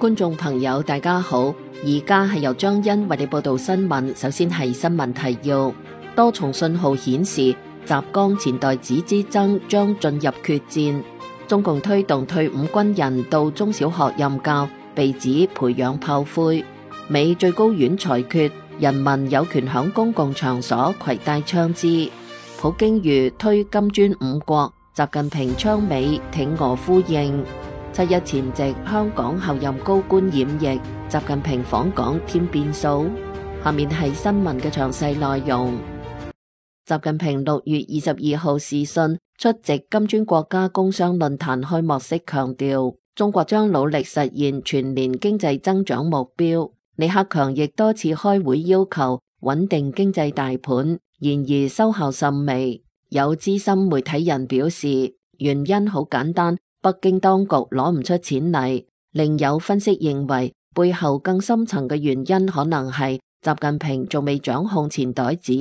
觀眾朋友大家好，而家係由張欣為你報道新聞。首先係新聞提要，多重信號顯示習江錢代子之爭將進入決戰。中共推動退伍軍人到中小學任教，被指培養炮灰。美最高院裁決，人民有權響公共場所攜帶槍支。普京如推金磚五國，習近平倡美挺俄呼應。7·1前夕，香港候任高官染疫，習近平訪港添變數。下面係新聞嘅詳細內容。習近平6月22號視訊出席金磚國家工商論壇開幕式，強調中國將努力實現全年經濟增長目標。李克強亦多次開會要求穩定經濟大盤，然而收效甚微。有資深媒體人表示，原因好簡單，北京當局攞唔出錢嚟。另有分析認為，背後更深層嘅原因可能係習近平仲未掌控錢袋子。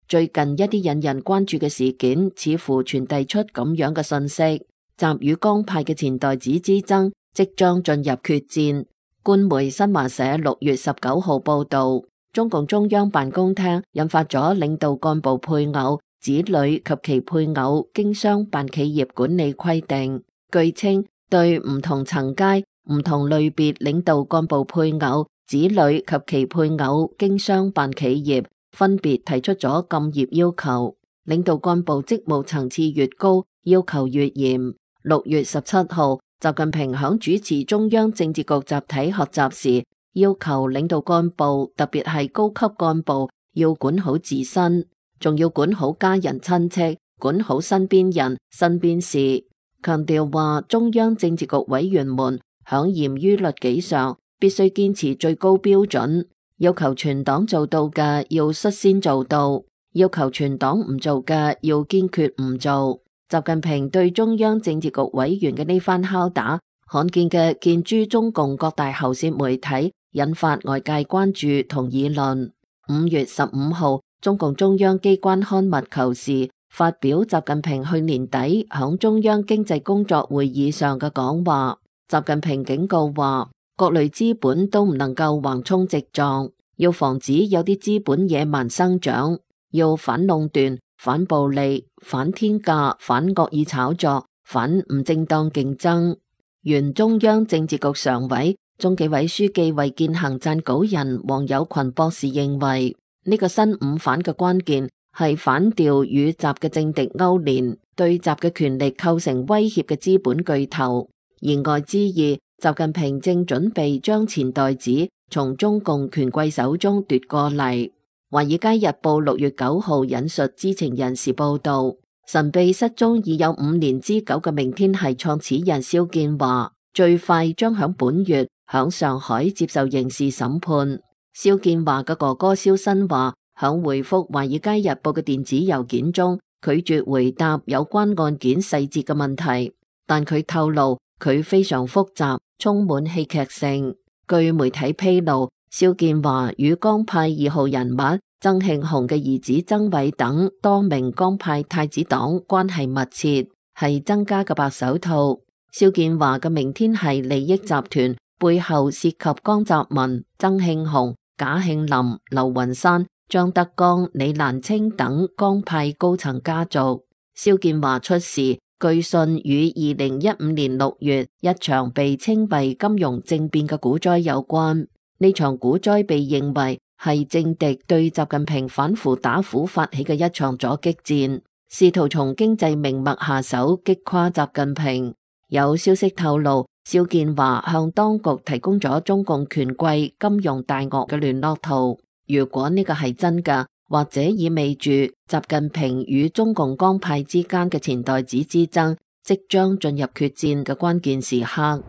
最近一啲引人關注嘅事件，似乎傳遞出咁樣嘅信息：習與江派嘅錢袋子之爭即將進入決戰。官媒新華社6月19號報道，中共中央辦公廳印發咗領導幹部配偶、子女及其配偶經商辦企業管理規定。據稱，對唔同層階、唔同類別領導幹部配偶、子女及其配偶經商辦企業分別提出咗禁業要求。領導幹部職務層次越高，要求越嚴。6月17號，習近平響主持中央政治局集體學習時，要求領導幹部，特別係高級幹部，要管好自身，仲要管好家人親戚，管好身邊人、身邊事。強調話，中央政治局委員們響嚴於律己上，必須堅持最高標準，要求全黨做到嘅要率先做到，要求全黨唔做嘅要堅決唔做。習近平對中央政治局委員嘅呢番敲打，罕見嘅見諸中共各大喉舌媒體，引發外界關注同議論。5月15號，中共中央機關刊物《求是》發表習近平去年底響中央經濟工作會議上嘅講話。習近平警告話，各類資本都唔能夠橫衝直撞，要防止有啲資本野蠻生長，要反壟斷、反暴利、反天價、反惡意炒作、反唔正當競爭。原中央政治局常委、中紀委書記衛健行撰稿人王友群博士認為，呢個新五反嘅關鍵係反掉與習嘅政敵勾連，對習嘅權力構成威脅嘅資本巨頭。言外之意，習近平正準備將錢袋子從中共權貴手中奪過嚟。華爾街日報6月9號引述知情人士報道，神秘失蹤已有5年之久嘅明天系創始人肖建華，最快將響本月響上海接受刑事審判。肖建華嘅哥哥肖新華響回覆華爾街日報嘅電子郵件中，拒絕回答有關案件細節嘅問題，但佢透露佢非常複雜，充滿戲劇性。據媒體披露，肖建華與江派2號人物曾慶紅嘅兒子曾偉等多名江派太子黨關係密切，係曾家嘅白手套。肖建華嘅明天系利益集團背後涉及江澤民、曾慶紅、賈慶林、劉雲山、張德江、李蘭清等江派高層家族。肖建華出事，據信與2015年6月一場被稱為金融政變嘅股災有關。呢場股災被認為係政敵對習近平反腐打虎發起嘅一場阻擊戰，試圖從經濟命脈下手擊垮習近平。有消息透露，肖建華向當局提供咗中共權貴金融大鱷嘅聯絡圖。如果呢個係真嘅，或者意味住習近平與中共江派之間嘅錢袋子之爭即將進入決戰嘅關鍵時刻。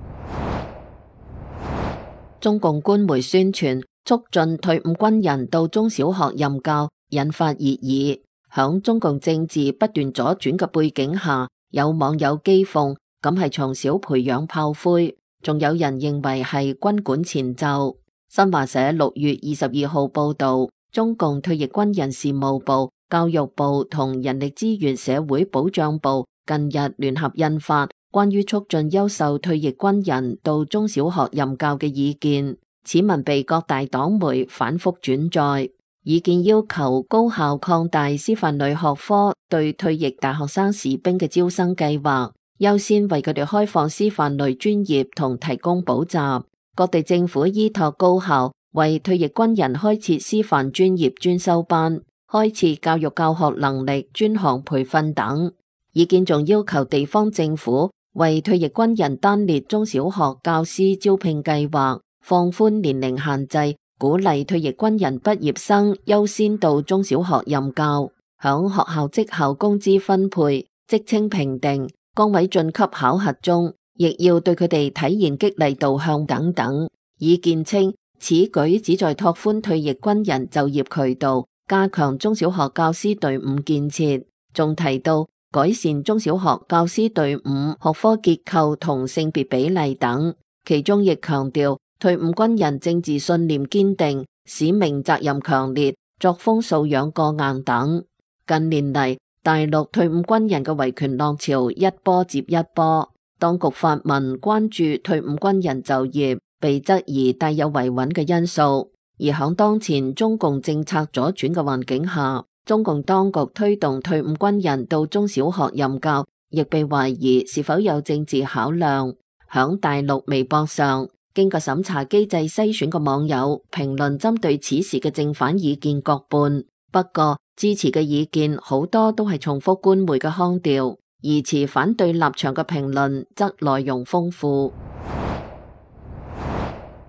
中共官媒宣傳促進退伍軍人到中小學任教，引發熱議。響中共政治不斷左轉嘅背景下，有網友譏諷咁係從小培養炮灰，仲有人認為係軍管前奏。新華社6月22號報道，中共退役軍人事務部、教育部同人力資源社會保障部近日聯合印發關於促進優秀退役軍人到中小學任教嘅意見，此文被各大黨媒反覆轉載。意見要求高校擴大師範類學科對退役大學生士兵嘅招生計劃，優先為佢哋開放師範類專業同提供補習。各地政府依託高校為退役軍人開設師範專業專修班，開設教育教學能力專項培訓等。意見仲要求地方政府為退役軍人單列中小學教師招聘計劃，放寬年齡限制，鼓勵退役軍人畢業生優先到中小學任教。響學校績效工資分配、職稱評定、崗位晉級考核中，亦要對佢哋體現激勵導向等等。意見稱，此舉旨在拓寬退役軍人就業渠道，加強中小學教師隊伍建設。仲提到改善中小學教師隊伍學科結構同性別比例等，其中亦強調退伍軍人政治信念堅定、使命責任強烈、作風素養過硬等。近年嚟，大陸退伍軍人嘅維權浪潮一波接一波，當局發文關注退伍軍人就業，被質疑帶有維穩嘅因素。而響當前中共政策左轉嘅環境下，中共當局推動退伍軍人到中小學任教，亦被懷疑是否有政治考量。響大陸微博上，經過審查機制篩選嘅網友評論針對此事嘅正反意見各半，不過支持嘅意見好多都係重複官媒嘅腔調，而持反對立場嘅評論則內容豐富。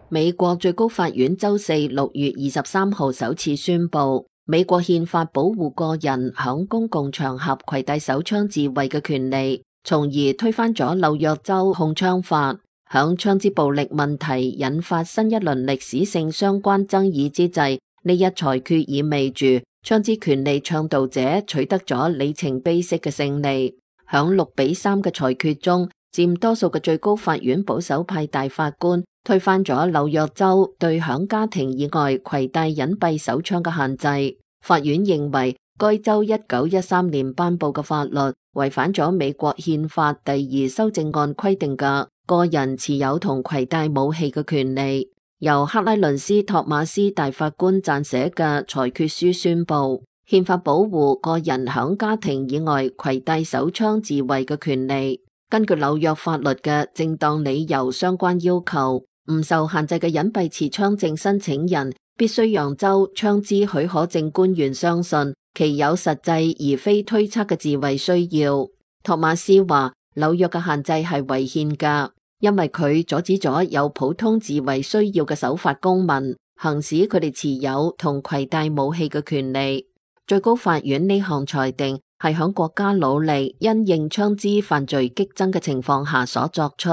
美國最高法院周四6月23號首次宣布，美國憲法保護個人響公共場合攜帶手槍自衛嘅權利，從而推翻咗紐約州控槍法。響槍支暴力問題引發新一輪歷史性相關爭議之際，呢一裁決意味住槍支權利倡導者取得咗里程碑式嘅勝利。響6-3嘅裁決中，佔多數嘅最高法院保守派大法官推翻咗紐約州對響家庭以外攜帶隱蔽手槍嘅限制。法院認為該州1913年頒布嘅法律違反咗美國憲法第2修正案規定嘅個人持有同攜帶武器嘅權利。由克拉倫斯·托馬斯大法官撰寫嘅裁決書宣布，憲法保護個人響家庭以外攜帶手槍自衛嘅權利。根據紐約法律嘅正當理由相關要求，唔受限制嘅隱蔽持槍證申請人必須讓州槍支許可證官員相信其有實際而非推測嘅自衛需要。托馬斯話，紐約嘅限制係違憲㗎，因為佢阻止咗有普通自衛需要嘅守法公民行使佢哋持有同攜帶武器嘅權利。最高法院呢項裁定係響國家努力因應槍支犯罪激增嘅情況下所作出。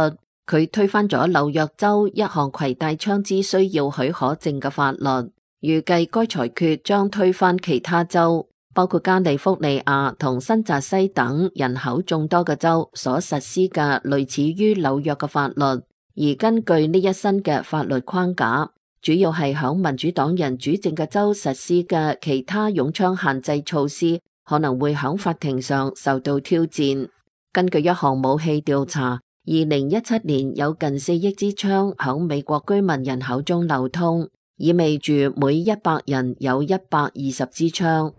佢推翻咗紐約州一項攜帶槍支需要許可證嘅法律，預計該裁決將推翻其他州，包括加利福尼亞同新澤西等人口眾多嘅州所實施嘅類似於紐約嘅法律。而根據呢一新嘅法律框架，主要係響民主黨人主政嘅州實施嘅其他擁槍限制措施可能會響法庭上受到挑戰。根據一項武器調查，2017年有近4億支槍響美國居民人口中流通，意味住每100人有120支槍。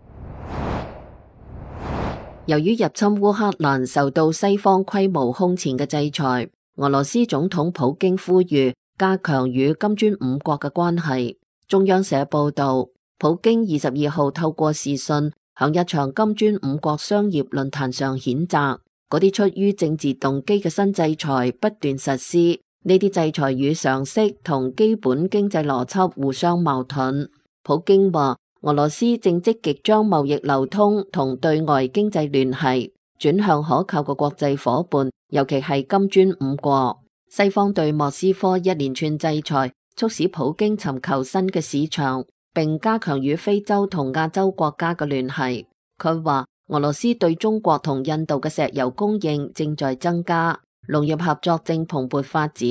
由於入侵烏克蘭受到西方規模空前嘅制裁，俄羅斯總統普京呼籲加強與金磚5國嘅關係。中央社報道，普京22號透過視訊響一場金磚5國商業論壇上譴責嗰啲出於政治動機嘅新制裁不斷實施，呢啲制裁與常識同基本經濟邏輯互相矛盾。普京話，俄羅斯正積極將貿易流通同對外經濟聯繫轉向可靠嘅國際夥伴，尤其係金磚5國。西方對莫斯科一連串制裁，促使普京尋求新嘅市場，並加強與非洲同亞洲國家嘅聯繫。佢話，俄羅斯對中國同印度嘅石油供應正在增加，農業合作正蓬勃發展。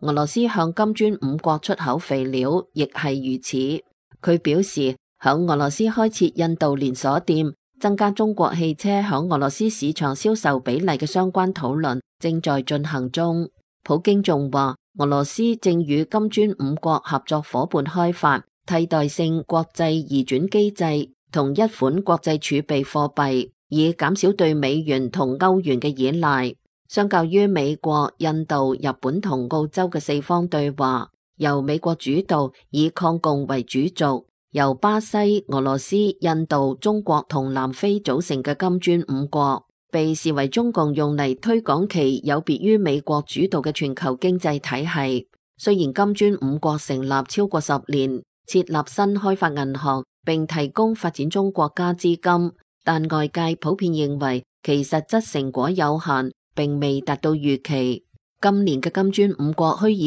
俄羅斯向金磚5國出口肥料亦係如此。佢表示，響俄羅斯開設印度連鎖店，增加中國汽車響俄羅斯市場銷售比例嘅相關討論正在進行中。普京仲話，俄羅斯正與金磚5國合作夥伴開發替代性國際移轉機制同一款國際儲備貨幣，以減少對美元同歐元嘅依賴。相較於美國、印度、日本同澳洲嘅四方對話，由美國主導以抗共為主軸，由巴西、俄羅斯、印度、中國同南非組成嘅金磚5國，被視為中共用嚟推廣其有別於美國主導嘅全球經濟體系。雖然金磚5國成立超過10年，設立新開發銀行並提供發展中國家資金，但外界普遍認為其實質成果有限，並未達到預期。今年嘅金磚5國虛擬